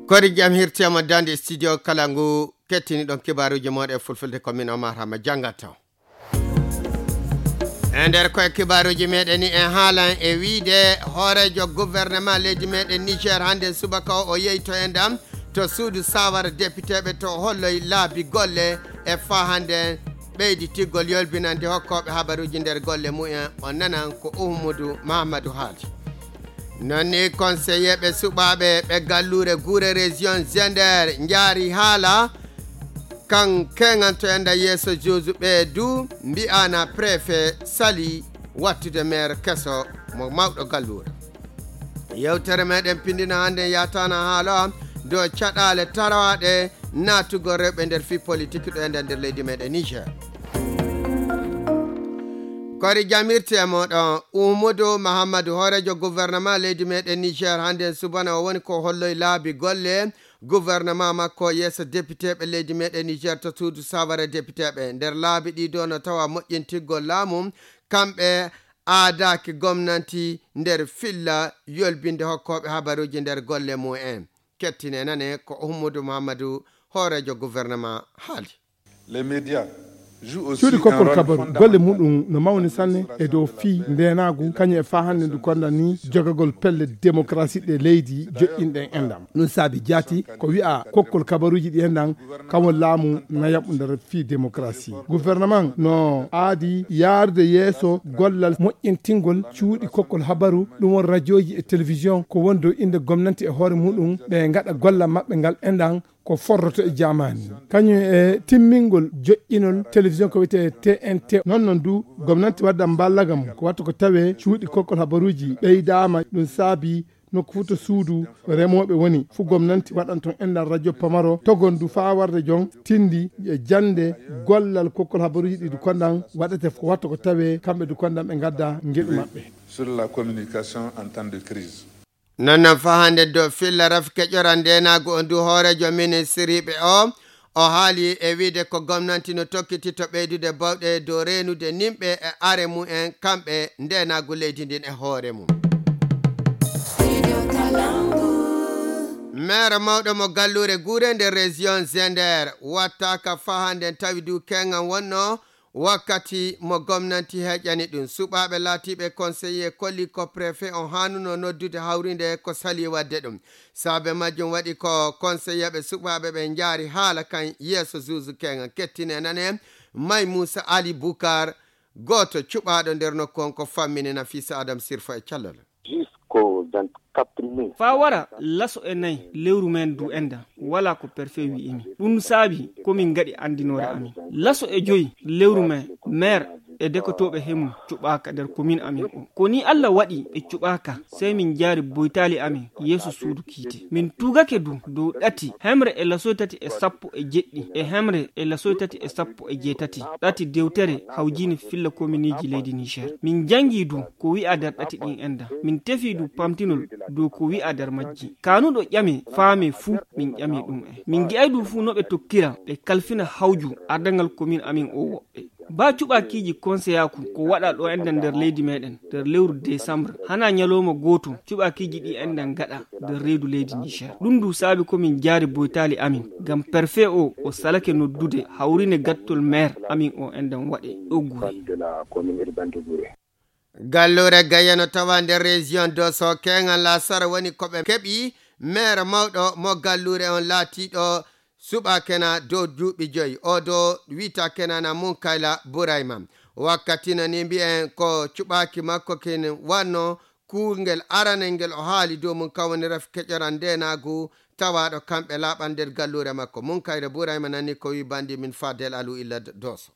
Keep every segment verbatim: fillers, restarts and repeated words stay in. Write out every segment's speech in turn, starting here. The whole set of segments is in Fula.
Kori jam hirti ama dande studio kala ngu kettini ɗon kibaaruuji mooɗon e fulfulde ko min Omar Hama janngato. E nder koye kibaaruuji meɗen ni en haalan e wiide hooreejo gouvernement leydi meɗen Niger hannde subaka o, o yeyto e ndam to suudu sawara depiteeɓe to holloy laabi golle e faa hannde ɓeyditigol yolbinande hokkooɓe habaruuji nder golle mumen. O nanan ko Uhmudu Mahamadou haali. Non ni konseyeeɓe suɓaaɓe ɓe galluure Gure Région Zender njaari haala kan keŋanto enda yeeso juuzu ɓe du mbi'ana préfet sali wattude maire keso mo mawɗo galluure. Yewtere meɗen pindina hannde yatana haala dow caɗaale tarawaaɗe naatugol rewɓe nder fii politik ɗo enda nder leydi meɗen Niger. Kori jamirte e moɗon Umudu Mahammadu hooreejo gouvernement leydi meɗen Niger hannde subana o woni ko holloy laabi golle gouvernement makko yeeso depiteeɓe leydi meɗen Niger to suudu sawara depiteeɓe. Nder laabi ɗi do no tawa moƴƴintirgol laamu kamɓe aadaaki gomnanti nder filla yolbinde hokkooɓe habaruuji nder golle mumen. Kettine nane ko Uhmudu Mahammadu hooreejo gouvernement haali. Les médias jouent aussi cuuɗi un kokkol rôle kabaru fondamental. Golle muɗum no mawni sanne e dow fii ndeenaagu kañum e faa hannde ndu konda ni jogagol pelle démocratie ɗe leydi joƴƴinɗen enɗam. Ɗum saabi jaati ko wi'a kokkol kabaruuji ɗi enɗam kamo laamu na yaɓu nder fii démocratie. Gouvernement no aadi yaarde yeeso gollal moƴƴintingol cuuɗi kokkol habaru ɗum won rajooji e télévision ko won dow innde gomnanti e hoore muɗum ɓe ngaɗa gollal maɓɓe ngal enɗam ko forroto e jaamaani. Kañum e timmingol joƴƴinol télévision ko wiyetee T N T. Non non du gomnanti wadda mballaga mum ko watta ko tawe cuuɗi kokkol habaruuji ɓeydaama ɗum saabi nokku fuu to suudu remooɓe woni fuu gomnanti waɗan toon enɗam radio pamaro togon du faa warde jon tindi e jannde gollal kokkol habaruuji ɗi du kondan waɗete ko watta ko tawe kamɓe du kondan ɓe ngadda ngeɗu maɓɓe. Sur la communication en temps de crise. Non non faa hannde dow filla rafi keƴora ndeenaagu on du hooreejo ministiriiɓe o o haali e wiide ko gomnanti no tokkiti to ɓeydude bawɗe dow reenude nimɓe e are mumen kamɓe ndeenaagu leydi ndin e hoore mum. Maire mawɗo mo galluure guure nder région Zender wattaaka faa hannde tawi du keŋan wonno wakkati mo gomnanti heƴani ɗum suɓaaɓe laatiiɓe conseiller kolli ko préfet on haanuno noddude hawrinde ko sali wadde ɗum. Saabe majjum waɗi ko konseyeeɓe suɓaaɓe ɓe njaari haala kan yeeso zuuzu keŋan kettine nane may Muusa Ali Bukar gooto cuɓaaɗo nder nokku on ko fammini Nafisa Adam Sirfo e callal. Jusqu'au vingt-quatre mai. Faa wara laso e nayi lewru men du enda walaa ko perfe wi'imi. Ɗum saabi ko min ngaɗi anndinoore amin. Laso e joyi lewru men maire e dekotooɓe hemu cuɓaaka nder komin amin o. Ko ni Allah waɗi ɓe cuɓaaka sey min njaari boytaali amin yeeso suudu kiite. Min tugake du dow ɗati hemre e lasoy tati e sappo e jeɗɗi e hemre e lasoy tati e sappo e jeetati ɗati dewtere hawjini filla kominiiji leydi Niger. Min jangi du ko wi'a nder ɗati ɗin enda. Min tefi du pamtinol dow ko wi'a nder majji. Kanuɗo ƴame faame fuu min ƴami ɗum en. Min ngi'ay du fuu no ɓe tokkira ɓe kalfina hawju ardangal komin amin o woɓɓe. Ba cuɓakiiji konseyaaku ko waɗa ɗo enda nder leydi meɗen nder lewru décembre hana ñalowma gooto cuɓakiiji ɗi enda ngaɗa nder reedu leydi Niger. Ɗum du saabi ko min jaari boytaali amin ngam perfe o o salake noddude hawrine gattol maire amin o endan waɗe ɗo gure. Galluure Gaya no tawa nder région Doso keŋal lasara woni ko ɓe keɓi maire mawɗo mo galluure on laatiiɗo suɓaakena dow duuɓi joyi o do wi'etaakena na Munkayla Burayma. Wakkati no ni mbi'en ko cuɓaaki makko kin wanno kuungel aranel ngel o haali dow mum kan woni rafi keƴoral ndeenaagu tawaaɗo kamɓe laaɓal nder galluure makko. Munkayla Burayma nani ko wi bandi min Fadel Alu illa Doso.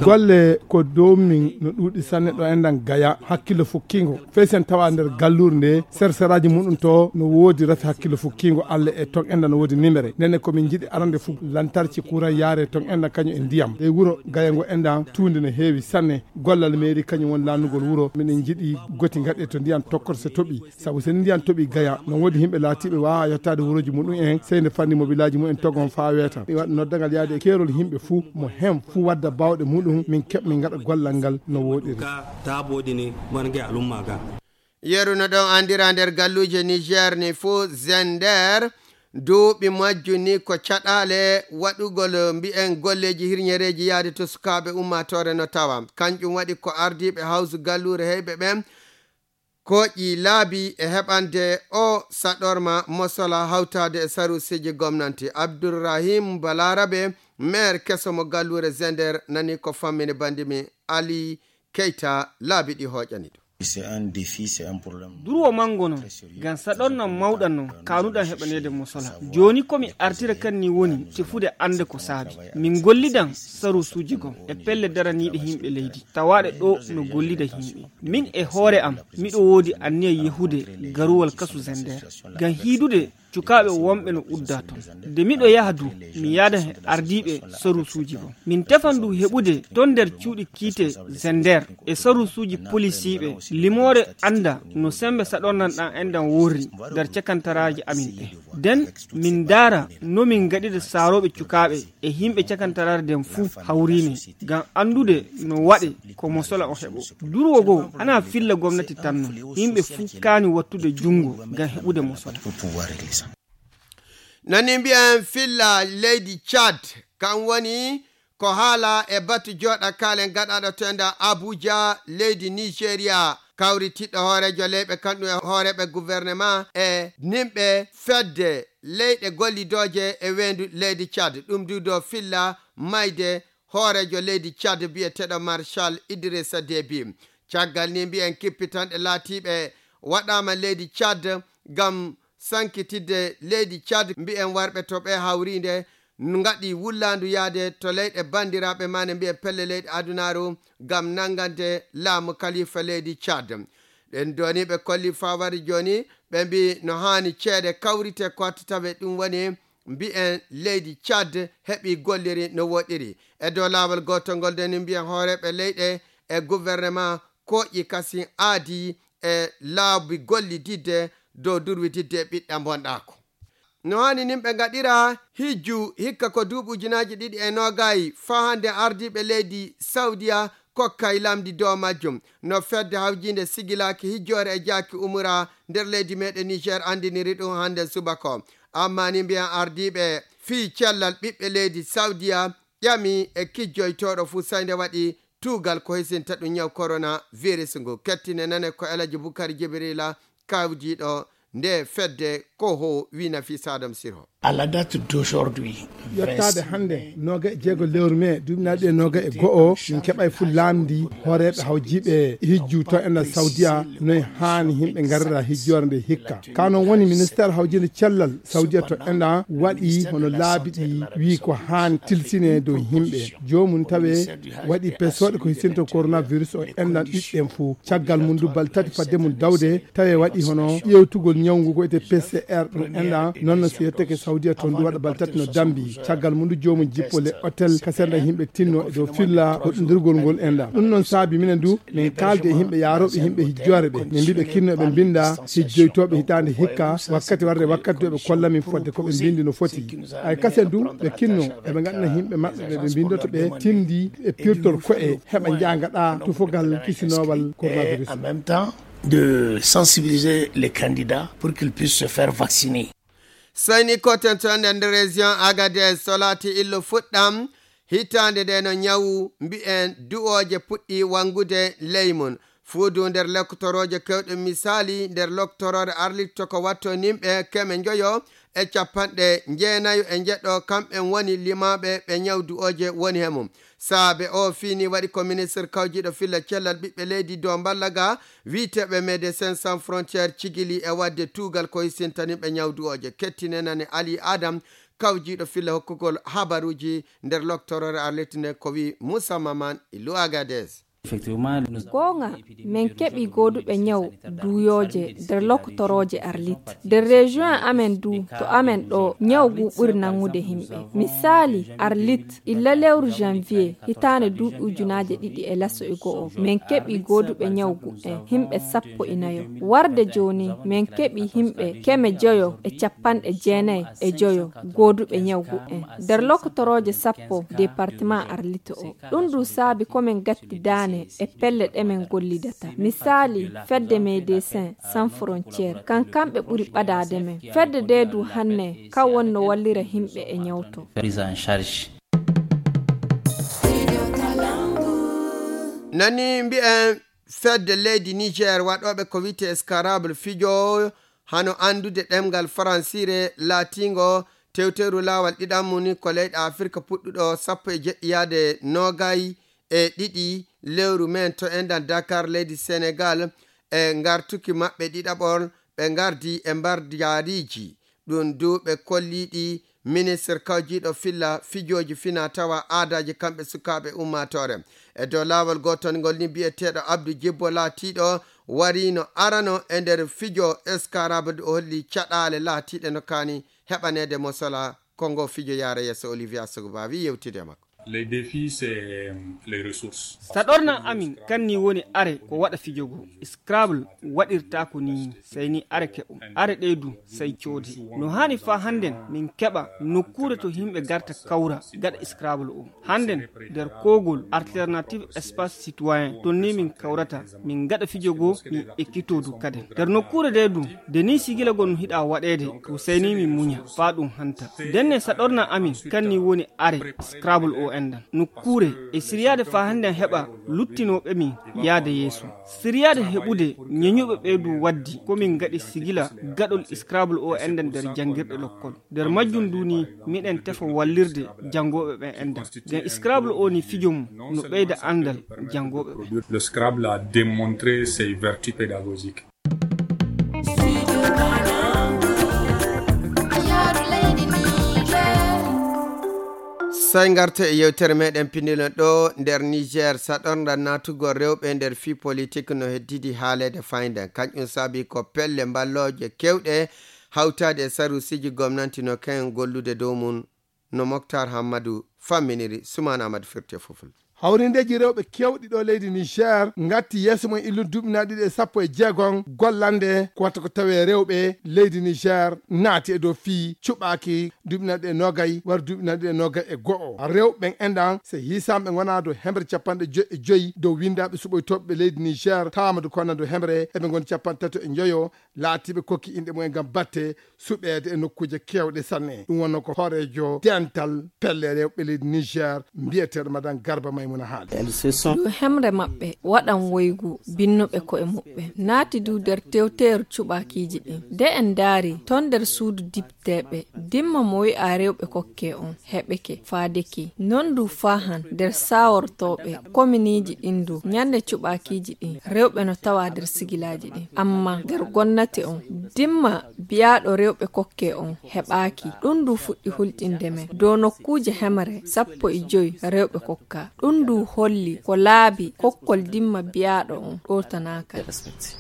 Golle ko dow min no ɗuuɗi sanne ɗo enɗan Gaya hakkillo fukkiingo fey sen tawa nder galluure nde serseraaji muɗum to no woodi rafi hakkillo fukkiingo Alla e ton enɗan no woodi nimere ndenne ko min njiɗi arande fuu lantarki kuran yaare ton enɗan kañum e ndiyam e wuro Gaya ngo enɗan tuunde no heewi sanne gollal meeri kañum woni laannugol wuro miɗen njiɗi goti ngaɗe to ndiyam tokkoto so toɓi sabu so ndiyan toɓi Gaya no woodi yimɓe laatiiɓe waawaa yettaade wurooji muɗum en sey nde fanni mobilaaji mumen togon faa weeta mi waɗa noddagal yaade e keerol yimɓe fuu mo heen fuu wadda baawɗe muɗum min keɓ min ngaɗa gollal ngal no wooɗiri. Ka taaboɗi ni wonge alumma ga. Yeru no ɗon anndira nder galluuje Niger ni fuu, Zender, duuɓi majju ni ko caɗaale waɗugol, mbi'en, golleeji hirñereeji yahde to sukaaɓe ummaatoore no tawa. Kanƴum waɗi ko ardiiɓe hawsu galluure heyɓe ɓen kooƴi laabi e heɓande o saɗorma mosola hawtaade e saruusiiji gomnanti. Abdourahim Balarabe, maire keso mo galluure Zender, nani ko fammini banndi mi Ali Keita laabi ɗi hooƴani ɗum. Durwo manngo non, ngam saɗornan mawɗan non, kaanuɗan heɓaneede mosola. Jooni ko mi artira kan ni woni tefude annde ko saabi. Min gollidan saruusuuji gom e pelle daraniiɗe yimɓe leydi, tawaaɗe ɗo no gollida yimɓe. Min e hoore am, miɗo woodi anniya yehude garuwal kasu Zender. Ngam hiidude cukaaɓe wonɓe no udda ton. Nde miɗo yaha du, mi yaadan e ardiiɓe saruusuuji gom. Min tefan du heɓude ton nder cuuɗi kiite Zender e saruusuuji polisiiɓe limoore annda no sembe saɗornan ɗan enɗan worri nder cakantaraaji amin ɗe. Den min ndaara no min ngaɗida saarooɓe cukaaɓe e yimɓe cakantaraare den fuu hawriine, ngam anndude no waɗe ko mosola o heɓo. Durwo goo ana filla gomnati tan non. Yimɓe fuu kaani wattude junngo ngam heɓude mosola. Nani mbi'en filla leydi Tchad, kan woni ko haala e batu jooɗa kaalen gaɗaaɗo to enda Abuja, leydi Nigeria. Kawritiɗɗo hooreejo leyɓe, kanɗum e hooreeɓe gouvernement e nimɓe fedde leyɗe gollidooje e weendu leydi Tchad. Ɗum du dow filla mayde hooreejo leydi Tchad biyeteeɗo Marshal Idrissa Déby. Caggal ni mbi'en kippitanɗe laatiiɓe waɗaama leydi Tchad ngam sankitidde leydi Tchad, mbi'en warɓe to ɓe hawriinde ngaɗi wullaandu yahde to leyɗe banndiraaɓe maane, mbi'en pelle leyɗe adunaaru ngam nanngande laamu kalifa leydi Tchad. Ɗen dooni ɓe kolli fawari jooni, ɓe mbi no haani ceede kawrite ko watta tawe ɗum woni mbi'en leydi Tchad heɓi golliri no woɗɗiri. E dow laawol gootol ngol ndeni mbi'en hooreeɓe leyɗe e gouvernement kooƴi kasin aadi e laabi gollididde dow durwididde e ɓiɗɗa bonɗaako. No haani nin ɓe ngaɗira hijju hikka ko duuɓi ujunaaji ɗiɗi e noogay faa hannde ardiiɓe leydi Sawdiya kokkay lamndi dow majjum. No fedde hawjiinde sigilaaki hijjoore e jaaki umura nder leydi meeɗen Niger anndiniri ɗum hannde subaka o. Amma ni mbiyan ardiiɓe fii cellal ɓiɓɓe leydi Sawdiya ƴami e kijjoytooɗo fuu sey nde waɗi tuugal ko hisinta ɗum ñaw korona virus ngu. Kettine nane ko Elaji Bukari Jibirila kawjiiɗo nde fedde ko ho wi Nafisa Adam Sirho. À la date d'aujourd'hui, yettaade hannde noga e jeego lewru mee duuɓinaaɗi e noga e go'o, min keɓay fuu laamndi hooreeɓe hawjiiɓe hijju to enɗan Sawdiya noy haani yimɓe ngarira hijjoore nde hikka. Ka non woni ministeer hawjiinde cellal Sawdiya to enɗan waɗi hono laabi ɗi wii ko haani tilsine dow yimɓe. Joomum tawe waɗi pesooɗe ko hisinta coronavirus o enɗan ɗiɗɗen fuu. Caggal mum du balɗe tati fadde mum dawde tawe waɗi hono ƴeewtugol ñaw ngu ko wiyetee P C R ɗum enɗan. Non no si yetteke Sawdiya toon du waɗa balɗe tati no dambi. Caggal mum du joomum jippo le hôtel ka senda yimɓe tinno e dow filla hoɗindirgol ngol enɗan. Ɗum non saabi minen du min kaaldi e yimɓe yaarooɓe yimɓe hijjoore ɓe. Min mbi ɓe kinno eɓe mbinda hijjoytooɓe hitaande hikka wakkati warde wakkati du eɓe kolla min fodde ko ɓe mbindi no foti. Ay kasen du ɓe kinno eɓe ngaɗana yimɓe maɓɓe ɓe ɓe mbindoto ɓe tindi e pirtol ko'e heɓa njaanga ɗa tufogal kisinoowal coronavirus. En même temps de sensibiliser les candidats pour qu'ils puissent se faire vacciner. Seyni koten to nder région Agadez, so laati illo fuɗɗam hitaande nde no ñawu mbi'en du'ooje puɗɗi wangude ley mum. Fuu du nder lektorooje kewɗe misaali nder loktoroore Arlit to ko watto nimɓe keme njoyo e capanɗe njeenayo e njeɗɗo, kamɓen woni limaaɓe ɓe ñaw du'ooje woni he mum. Saabe o fini waɗi ko ministre kawjiiɗo filla cellal ɓiɓɓe leydi dow mballa ga wi'eteeɓe Médecins Sans Frontières cigili e waɗde tuugal ko hisintaniiɓe ñaw du'ooje. Kettine nane Ali Adam, kawjiiɗo filla hokkugol habaruuji nder loktoroore Arlit nden ko wi Moussa Maman Ilou Agadez. Goonga, min keɓii gooduɓe ñaw duuyooje nder lokotorooje Arlit. Nder région amen du, to amen ɗo, ñaw ngu ɓuri nangude himɓe. Misaali, Arlit, illa lewru janvier, hitaande duuɓi ujunaaje ɗiɗi e laso e go'o, min keɓii gooduɓe ñaw ngu en, himɓe sappo e nayo. Warde jooni, min keɓii himɓe keme joyo e capanɗe jeenay e joyo gooduɓe ñaw ngu en. Nder lokotorooje sappo département Arlit o. Ɗum du saabi ko min gatti daane e pelle ɗe men gollidata. Misaali, fedde Médecins Sans Frontières, kan kamɓe ɓuri ɓadaade men. Fedde nde du hanne, kan wonno wallira himɓe e ñawto. Prise en charge. Nani mbi'en fedde leydi Niger waɗooɓe ko wiyte Escarable fijo hano anndude ɗemngal faransiire laatingo tewteru laawal ɗiɗammu ni ko leyɗe Afirka puɗɗuɗo sappo e jeɗɗi yaade noogay e ɗiɗi lewru men to enɗan Dakar leydi Senegal e ngartuki maɓɓe ɗiɗaɓol ɓe ngardi e mbarjaariji. Ɗum du ɓe kolliɗi ministre kawjiiɗo filla fijooji fina tawa aadaaji kamɓe sukaaɓe ummaatoore. E dow laawol gootol ngol ni biyeteeɗo Abdou Jibbo laatiiɗo wariino arano e nder fijo Escarable o holli caɗaale laatiiɗe no kaani heɓaneede mo sola ko ngo fijo yaara yeeso. Olivier Asogba wi yewtide e makko. Les défis, c'est, euh, les ressources. Saɗorna amin kan ni woni are ko waɗa fijo go. Scrabble waɗirta ko ni, sey ni are keɓo. Are ɗe du, sey coodi. No haani fa hannden min keɓa nokkuure to himɓe garta kawra gaɗa Scrabble o. Hannden nder kogol Alternative Espace Citoyen, ton ni min kawrata, min gaɗa fijo go, min ekkito du kaden. Nder nokkuure de du, de ni sigila gon hiɗa waɗeede, to sey ni min muña, fa ɗum hanta. Denne saɗorna amin, kan ni woni are, Scrabble o enɗan. Nokkuure, e siryaade fa hannden heɓa luttinooɓe min yaade yeeso. Siryaade heɓude ñeñuɓe ɓe du waddi, ko min gaɗi sigila gaɗol Scrabble o enɗan nder janngirɗe lokkol. Nder majjum du ni, miɗen tefa wallirde janngooɓe ɓen enɗan. Nden Scrabble o ni fijo mum no ɓeyda anndal janngooɓe ɓen. Le Scrabble a démontré ses vertus pédagogiques. Sey ngarte e yewtere meɗen pinnilen ɗo nder Niger, saɗornda natugol rewɓe nder fii politik no heddidi haaleede fayda. Kañum saabi ko pelle mballooje kewɗe hawtaade e saruusiji gomnanti no ken gollude dow mum. No Moktar Hammadu famminiri, Sumaan Ahmadu firti e Fulfulde. Hawrindeeji rewɓe keewɗi ɗo leydi Niger ngatti yeeso mum illude duuɓi nayi ɗiɗi e sappo e jeegom gollande ko watta ko tawee rewɓe leydi Niger naati e dow fii cuɓaaki duuɓi nayi ɗiɗi e noogay wara duuɓi nayi ɗiɗi e noogay e go'o. Rewɓe ɓen enɗan, so hiisaama ɓe ngona dow hemre capanɗe joy e joy dow winndaaɓe suɓoytooɓe ɓe leydi Niger, tawaama du ko wona dow hemre eɓe ngoni capanɗe tato e njoyo, laatiiɓe kokki inɗe mumen ngam batte suɓeede e nokkuuje keewɗe sanne. Ɗum wonno ko hooreejo dental pelle rewɓe leydi Niger, mbiyeteeɗo Madan Garba Maymuna haali. Elles se sont Ɗum hemre maɓɓe waɗan woygu binnuɓe ko'e muɓɓen. Naati du nder tewteeru cuɓaakiiji ɗin. De en ndaari ton nder suudu dipteeɓe, dimma mo wi'a rewɓe kokke on, heɓeke, faadeke. Non du faahan nder saawortooɓe kominiiji ɗin du, ñande cuɓaakiiji ɗin, rewɓe no tawa nder sigilaaji ɗin. Amma nder gonnate on, dimma biyaaɗo rewɓe kokke on heɓaaki. Ɗum du fuɗɗi hulƴinde men dow nokkuuje hemre sappo e joy rewɓe kokka. Ɗum du holli ko laabi kokkol dimma biyaaɗo on ɗowtanaaka.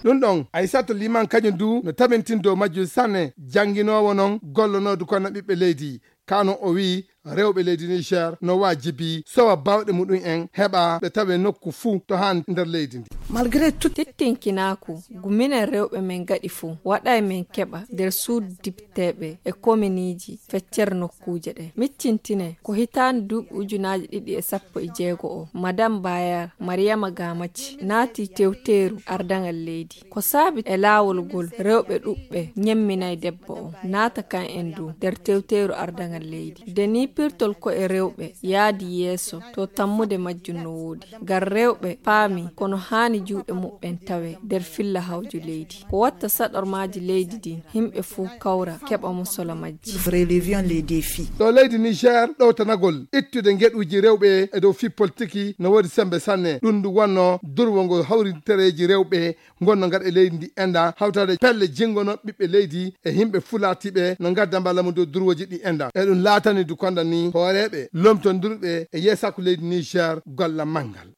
Ɗum ɗon, Aissata Liman kañum du no tabintin dow majjum sanne, jannginoowo non gollonoodu kono ɓiɓɓe leydi. Kano o wi'i rewɓe leydi Niger no waajibi sowa baawɗe muɗum en heɓa ɓe tawe nokku fuu to haa nder leydi ndi. Malgré tout. Tittinkinaaku guminen rewɓe men ngaɗi fuu, waɗay men keɓa nder suudu dipteeɓe e kominiiji feccere nokkuuje ɗe. Miccintine ko hitaande duuɓi ujunaaji ɗiɗi e sappo e jeego o, Madame Bayar Mariama Gamaci naati tewteeru ardaŋal leydi. Ko saabi e laawol ngol rewɓe ɗuɓɓe ñemminay debbo o, naata kan en du nder tewteeru ardaŋal leydi. Nde ni pirtol ko'e rewɓe yaadi yeeso, to tammude majjum no woodi. Ngam rewɓe paami kono haani juuɗe muɓɓen tawe nder filla hawju leydi. Ko watta saɗormaaji leydi din, himɓe fuu kawra keɓa musola majji. Nous relevions les défis. Ɗo leydi Niger, ɗowtanagol ittude ngeɗuuji rewɓe e dow fii politiki no woodi sembe sanne. Ɗum ndu wonno durwongol hawrintereeji rewɓe ngonno ngaɗa e leydi ndi enɗa, hawtaade pelle jingono ɓiɓɓe leydi e himɓe fuu laatiiɓe no ngadda mballa mum dow durwooji ɗi enɗa. E ɗum laatani du konda ni hooreeɓe lomtondirɓe e yeesaaku leydi Niger golla manngal.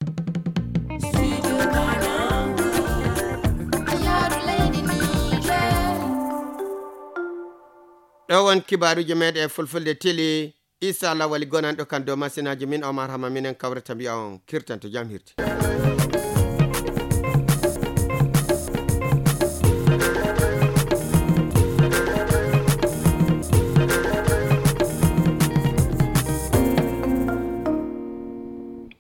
Ɗo won kibaaruuji meɗen e Fulfulde Tili. Isa Lawali gonanɗo kan dow masinaaji min Omar Hama minen kawrata mbiya on kirtanto jam hirti.